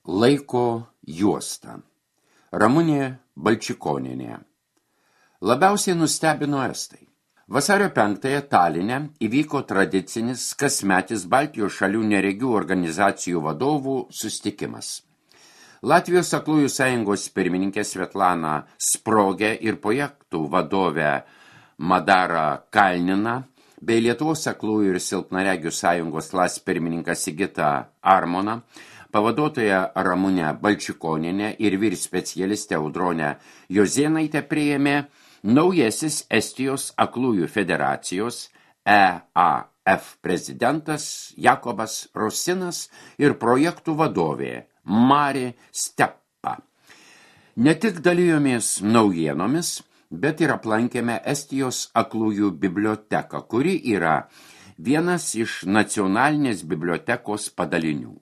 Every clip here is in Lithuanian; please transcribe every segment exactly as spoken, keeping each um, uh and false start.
Laiko juosta. Ramunė Balčikonienė. Labiausiai nustebino estai. Vasario penktąją Taline įvyko tradicinis kasmetis Baltijos šalių neregių organizacijų vadovų susitikimas. Latvijos aklųjų sąjungos pirmininkė Svetlana Sprogė ir projektų vadovė Madara Kalnina bei Lietuvos aklųjų ir silpnaregių sąjungos las pirmininkas Sigita Armona, pavaduotoja Ramunė Balčikonienė ir vyr specialistė Audronė Jozėnaitė priėmė naujasis Estijos aklųjų federacijos E A F prezidentas Jakobas Rosinas ir projektų vadovė Mari Steppa. Ne tik dalijomės naujienomis, bet ir aplankėme Estijos aklųjų biblioteką, kuri yra vienas iš nacionalinės bibliotekos padalinių.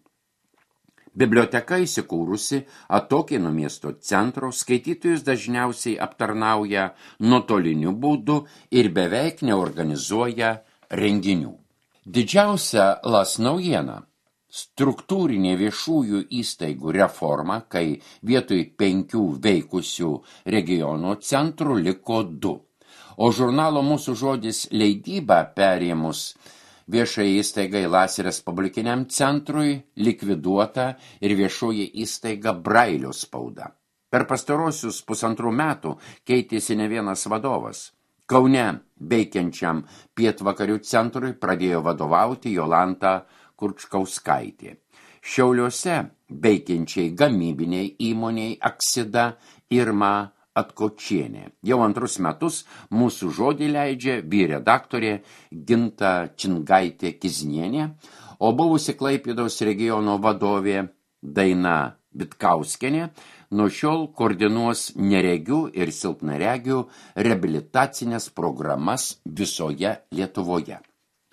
Biblioteka įsikūrusi atokiai nuo miesto centro, skaitytojus dažniausiai aptarnauja nuotoliniu būdu ir beveik neorganizuoja renginių. Didžiausia las naujiena – struktūrinė viešųjų įstaigų reforma, kai vietoj penkių veikusių regiono centrų liko du, o žurnalo Mūsų žodis leidybą perėmus viešai įstaigai Las Respublikiniam centrui likviduota ir viešoji įstaiga Brailio spauda. Per pastarosius pusantrų metų keitėsi ne vienas vadovas. Kaune veikiančiam pietvakarių centrui pradėjo vadovauti Jolanta Kurčkauskaitė. Šiauliuose veikiančiai gamybiniai įmoniai Aksida Irma Atkočienė. Jau antrus metus Mūsų žodį leidžia vyr redaktorė Ginta Čingaitė Kiznienė, o buvusi Klaipėdos regiono vadovė Daina Vitkauskienė nuo šiol koordinuos neregių ir silpnaregių reabilitacinės programas visoje Lietuvoje.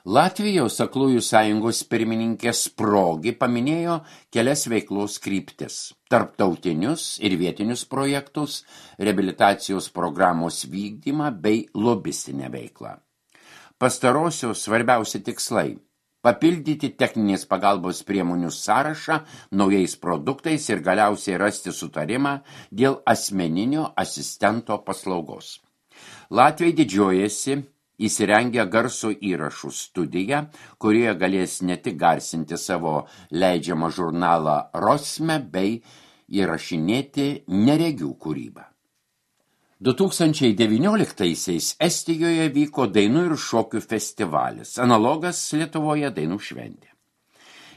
Latvijos aklųjų sąjungos pirmininkė Sprogė paminėjo kelias veiklos kryptis – tarptautinius ir vietinius projektus, reabilitacijos programos vykdymą bei lobistinę veiklą. Pastarosios svarbiausi tikslai – papildyti techninės pagalbos priemonių sąrašą naujais produktais ir galiausiai rasti sutarimą dėl asmeninio asistento paslaugos. Latviai didžiuojasi įsirengę garso įrašų studiją, kurioje galės ne tik garsinti savo leidžiamą žurnalą Rosme bei įrašinėti neregių kūrybą. du tūkstančiai devynioliktaisiais Estijoje vyko dainų ir šokių festivalis, analogas Lietuvoje dainų šventė.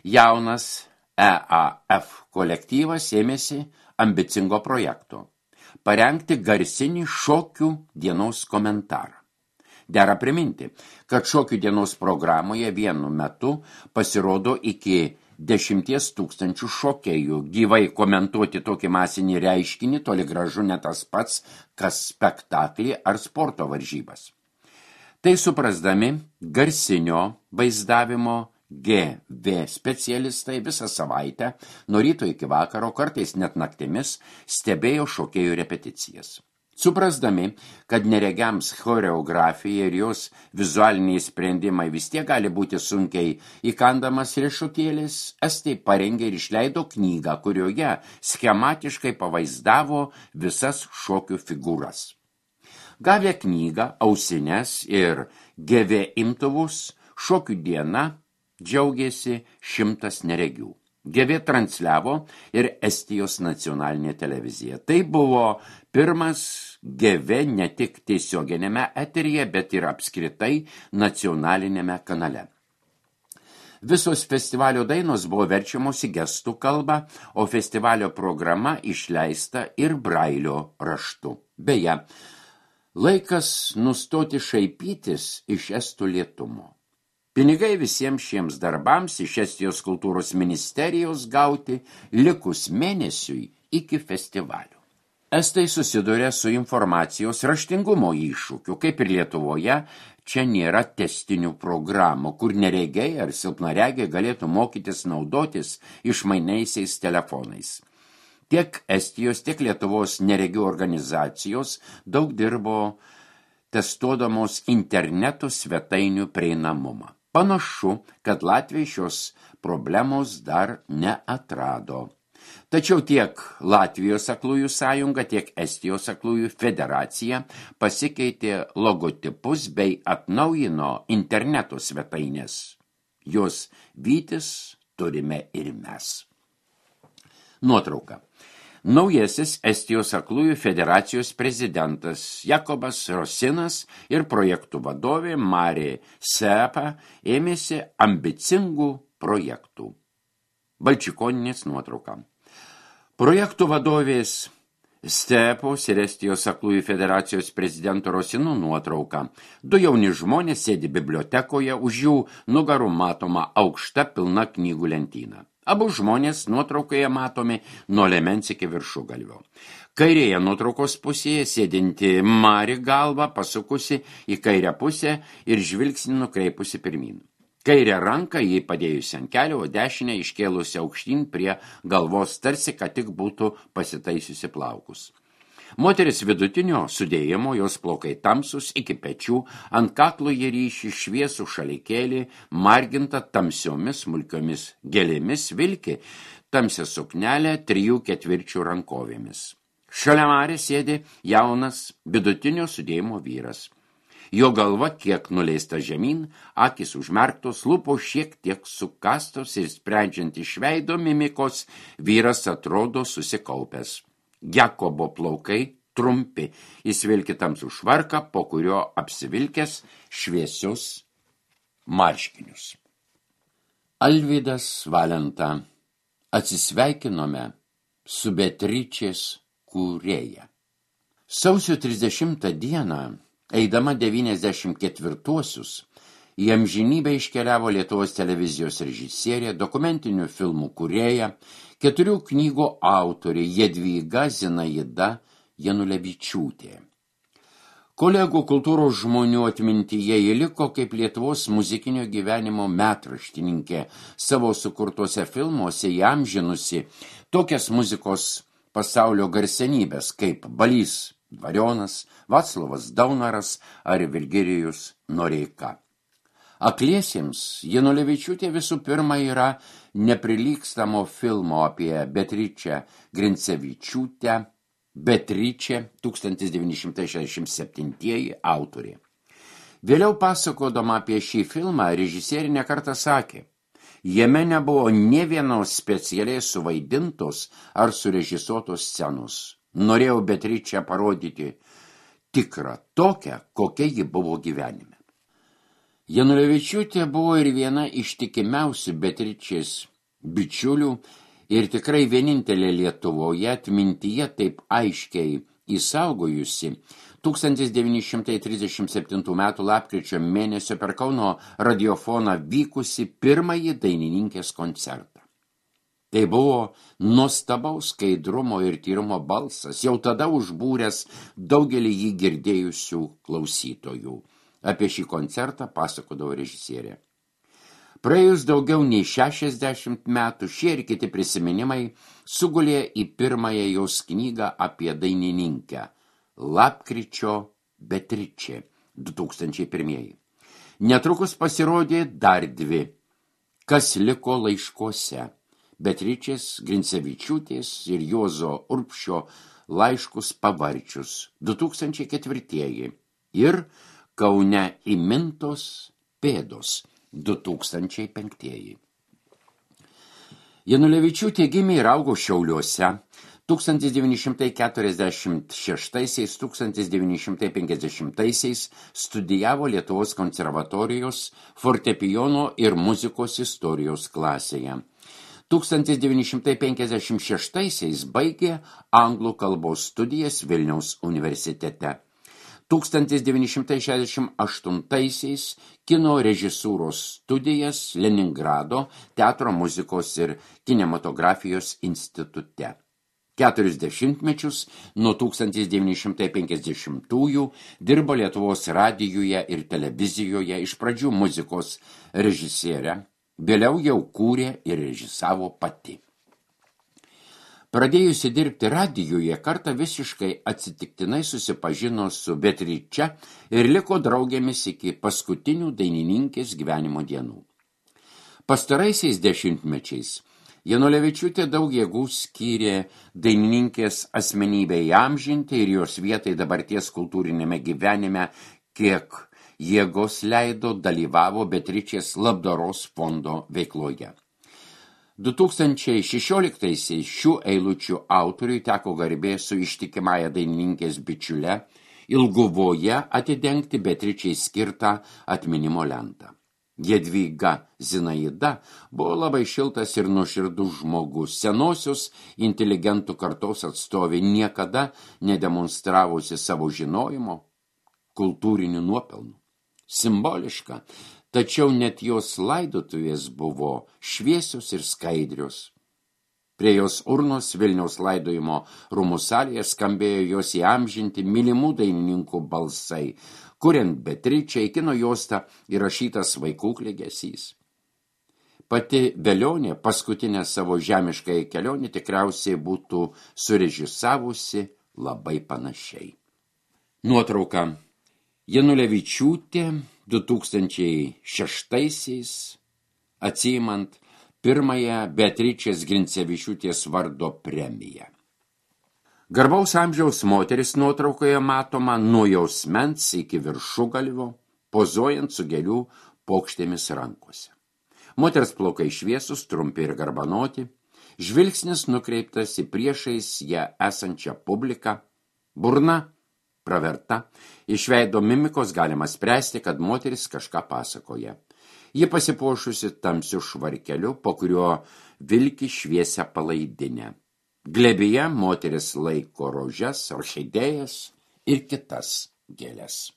Jaunas E A F kolektyvas ėmėsi ambicingo projekto – parengti garsinį šokių dienos komentarą. Dera priminti, kad šokių dienos programoje vienu metu pasirodo iki dešimties tūkstančių šokėjų. Gyvai komentuoti tokį masinį reiškinį toli gražu ne tas pats, kas spektaklį ar sporto varžybas. Tai suprasdami garsinio vaizdavimo G V specialistai visą savaitę, nuo ryto iki vakaro, kartais net naktimis, stebėjo šokėjų repeticijas. Suprasdami, kad neregiams choreografija ir jos vizualiniai sprendimai vis tiek gali būti sunkiai įkandamas riešutėlis, estai parengė ir išleido knygą, kurioje schematiškai pavaizdavo visas šokių figūras. Gavę knygą, ausines ir G V imtuvus, šokių diena džiaugėsi šimtas neregių. G V transliavo ir Estijos nacionalinė televizija. Tai buvo pirmas G V ne tik tiesioginėme eteryje, bet ir apskritai nacionalinėme kanale. Visos festivalio dainos buvo verčiamos į gestų kalbą, o festivalio programa išleista ir Brailio raštu. Beje, laikas nustoti šaipytis iš estų lėtumo. Pinigai visiems šiems darbams iš Estijos kultūros ministerijos gauti likus mėnesiui iki festivalio. Estai susiduria su informacijos raštingumo iššūkiu, kaip ir Lietuvoje, čia nėra testinių programų, kur neregiai ar silpnaregiai galėtų mokytis naudotis išmainiaisiais telefonais. Tiek Estijos, tiek Lietuvos neregių organizacijos daug dirbo testuodamos interneto svetainių prieinamumą. Panašu, kad Latvija šios problemos dar neatrado. Tačiau tiek Latvijos aklųjų sąjunga, tiek Estijos aklųjų federacija pasikeitė logotipus bei atnaujino interneto svetainės. Jos vytis turime ir mes. Nuotrauka. Naujasis Estijos aklųjų federacijos prezidentas Jakobas Rosinas ir projektų vadovė Marė Sepa ėmėsi ambicingų projektų. Balčikoninės nuotrauka. Projektų vadovės Stepos ir Estijos aklųjų federacijos prezidento Rosinų nuotrauka. Du jauni žmonės sėdi bibliotekoje, už jų nugarų matoma aukšta pilna knygų lentyna. Abu žmonės nuotraukoje matomi nuo liemens iki viršugalvio. Kairėje nuotraukos pusėje sėdinti Mari galva pasukusi į kairę pusę ir žvilgsnį nukreipusi pirmyn. Kairę ranką jį padėjusi ant kelio, o dešinę iškėlusi aukštyn prie galvos, tarsi, kad tik būtų pasitaisiusi plaukus. Moteris vidutinio sudėjimo, jos plaukai tamsus iki pečių, ant kaklo jie ryši šviesų šalikėlį, marginta tamsiomis smulkiomis gėlėmis, vilki tamsią suknelę trijų ketvirčių rankovėmis. Šalia Marės sėdi jaunas vidutinio sudėjimo vyras. Jo galva kiek nuleista žemyn, akys užmerktos, lūpos šiek tiek sukastos ir sprendžiant iš veido mimikos, vyras atrodo susikaupęs. Jakobo plaukai trumpi, jis vilki tamsų švarką, po kurio apsivilkęs šviesius marškinius. Alvydas Valenta. Atsisveikinome su Beatričės kūrėja. Sausio trisdešimtą dieną, eidama devyniasdešimt ketvirtuosius, į amžinybę iškeliavo Lietuvos televizijos režisierė, dokumentinių filmų kūrėja, keturių knygų autorė Jadvyga Zinaida Janulevičiūtė. Kolegų kultūros žmonių atmintyje ji liko kaip Lietuvos muzikinio gyvenimo metraštininkė, savo sukurtuose filmuose įamžinusi tokias muzikos pasaulio garsenybės kaip Balys Dvarionas, Vaclovas Daunoras ar Virgilijus Noreika. Akliesiems Janulevičiūtė visų pirma yra neprilygstamo filmo apie Beatričę Grincevičiūtę, Beatričė tūkstantis devyni šimtai šešiasdešimt septintieji autorė. Vėliau pasakodama apie šį filmą, režisierė nekartą sakė, jame nebuvo nė vienos specialiai suvaidintos ar surežisuotos scenos. Norėjau Beatričę parodyti tikrą tokią, kokia ji buvo gyvenime. Janulevičiūtė buvo ir viena ištikimiausių Beatričės bičiulių ir tikrai vienintelė Lietuvoje atmintyje taip aiškiai įsaugojusi tūkstantis devyni šimtai trisdešimt septintų metų lapkričio mėnesio per Kauno radiofoną vykusi pirmąjį dainininkės koncertą. Tai buvo nuostabaus skaidrumo ir tyrumo balsas, jau tada užbūręs daugelį jį girdėjusių klausytojų. Apie šį koncertą pasakodavo režisierė. Praėjus daugiau nei šešiasdešimt metų, šie ir kiti prisiminimai sugulė į pirmąją jos knygą apie dainininkę Lapkričio Beatričė du tūkstančiai pirmieji. Netrukus pasirodė dar dvi, Kas liko laiškuose, Beatričės Grincevičiūtės ir Juozo Urbšio laiškus pavarčius du tūkstančiai ketvirtieji ir Kaune įmintos pėdos du tūkstančiai penktieji. Janulevičiūtė gimė ir augo Šiauliuose. tūkstantis devyni šimtai keturiasdešimt šeštaisiais - tūkstantis devyni šimtai penkiasdešimtaisiais studijavo Lietuvos konservatorijos fortepijono ir muzikos istorijos klasėje. tūkstantis devyni šimtai penkiasdešimt šeštaisiais baigė anglų kalbos studijas Vilniaus universitete. tūkstantis devyni šimtai šešiasdešimt aštuntaisiais kino režisūros studijas Leningrado teatro muzikos ir kinematografijos institute. Keturis dešimtmečius nuo tūkstantis devyni šimtai penkiasdešimtųjų dirbo Lietuvos radijuje ir televizijoje, iš pradžių muzikos režisierė, vėliau jau kūrė ir režisavo pati. Pradėjusi dirbti radijuje, kartą visiškai atsitiktinai susipažino su Beatriče ir liko draugėmis iki paskutinių dainininkės gyvenimo dienų. Pastaraisiais dešimtmečiais Janulevičiūtė daug jėgų skyrė dainininkės asmenybei įamžinti ir jos vietai dabarties kultūrinėme gyvenime, kiek jėgos leido dalyvavo Beatričės labdaros fondo veikloje. du tūkstančiai šešioliktaisiais šių eilučių autoriui teko garbė su ištikimąja dainininkės bičiule Ilguvoje atidengti Beatričei skirtą atminimo lentą. Jadvyga Zinaida buvo labai šiltas ir nuoširdus žmogus, senosios inteligentų kartos atstovė, niekada nedemonstravusi savo žinojimo, kultūrinių nuopelnų. Simboliška, tačiau net jos laidotuvės buvo šviesios ir skaidrios. Prie jos urnos Vilniaus laidojimo rūmų salėje skambėjo jos įamžinti mylimų dainininkų balsai, kuriant Beatričei kino juostą įrašytas vaikų klegesys. Pati Velionė paskutinę savo žemiškąją kelionę tikriausiai būtų surežisavusi labai panašiai. Nuotrauka. Janulevičiūtė du tūkstančiai šeštaisiais atsiimant pirmąją Beatričės Grincevičiūtės vardo premiją. Garbaus amžiaus moteris nuotraukoje matoma nuo jausmens iki viršugalvio, pozuojant su gėlių pokštėmis rankose. Moters plaukai šviesus, trumpi ir garbanoti, žvilgsnis nukreiptas į priešais ją esančią publiką, burna praverta, iš veido mimikos galima spręsti, kad moteris kažką pasakoja. Ji pasipuošusi tamsiu švarkeliu, po kuriuo vilki šviesią palaidinę. Glėbyje moteris laiko rožes, orchidėjas ir kitas gėles.